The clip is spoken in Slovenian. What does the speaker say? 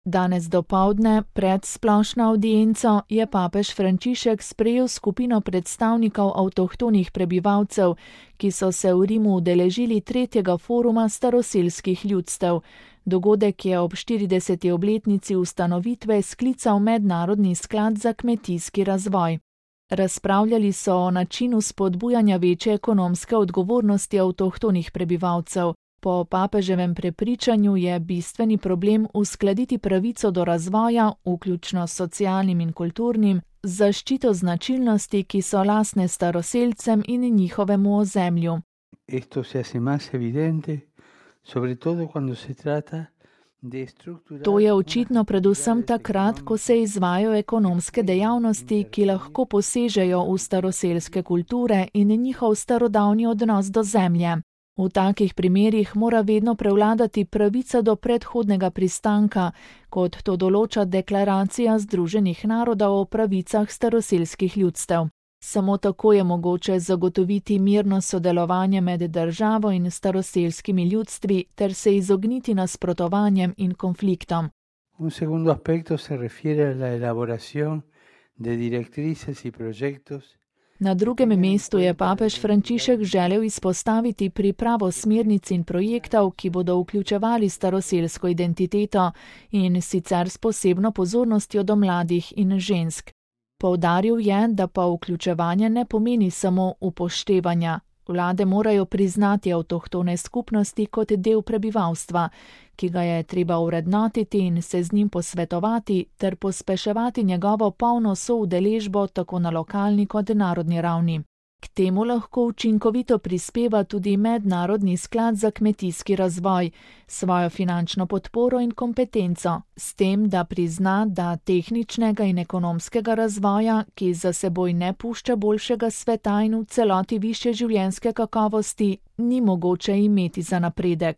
Danes dopoldne, pred splošno avdienco, je papež Frančišek sprejel skupino predstavnikov avtohtonih prebivalcev, ki so se v Rimu udeležili 3. foruma staroselskih ljudstev. Dogodek je ob 40. obletnici ustanovitve sklical Mednarodni sklad za kmetijski razvoj. Razpravljali so o načinu spodbujanja večje ekonomske odgovornosti avtohtonih prebivalcev. Po papeževem prepričanju je bistveni problem uskladiti pravico do razvoja, vključno s socialnim in kulturnim, z zaščito značilnosti, ki so lastne staroselcem in njihovemu ozemlju. To je očitno predvsem takrat, ko se izvajajo ekonomske dejavnosti, ki lahko posežejo v staroselske kulture in njihov starodavni odnos do zemlje. V takih primerih mora vedno prevladati pravica do predhodnega pristanka, kot to določa Deklaracija Združenih narodov o pravicah staroselskih ljudstev. Samo tako je mogoče zagotoviti mirno sodelovanje med državo in staroselskimi ljudstvi ter se izogniti nasprotovanjem in konfliktom. Un segundo aspecto se refiere a la elaboración de directrices y proyectos. Na drugem mestu je papež Frančišek želel izpostaviti pripravo smernic in projektov, ki bodo vključevali staroselsko identiteto in sicer s posebno pozornostjo do mladih in žensk. Poudaril je, da pa vključevanje ne pomeni samo upoštevanja. Vlade morajo priznati avtohtone skupnosti kot del prebivalstva, ki ga je treba vrednotiti in se z njim posvetovati ter pospeševati njegovo polno soudeležbo tako na lokalni kot narodni ravni. K temu lahko učinkovito prispeva tudi Mednarodni sklad za kmetijski razvoj, svojo finančno podporo in kompetenco, s tem, da prizna, da tehničnega in ekonomskega razvoja, ki za seboj ne pušča boljšega sveta in v celoti višje življenjske kakovosti, ni mogoče imeti za napredek.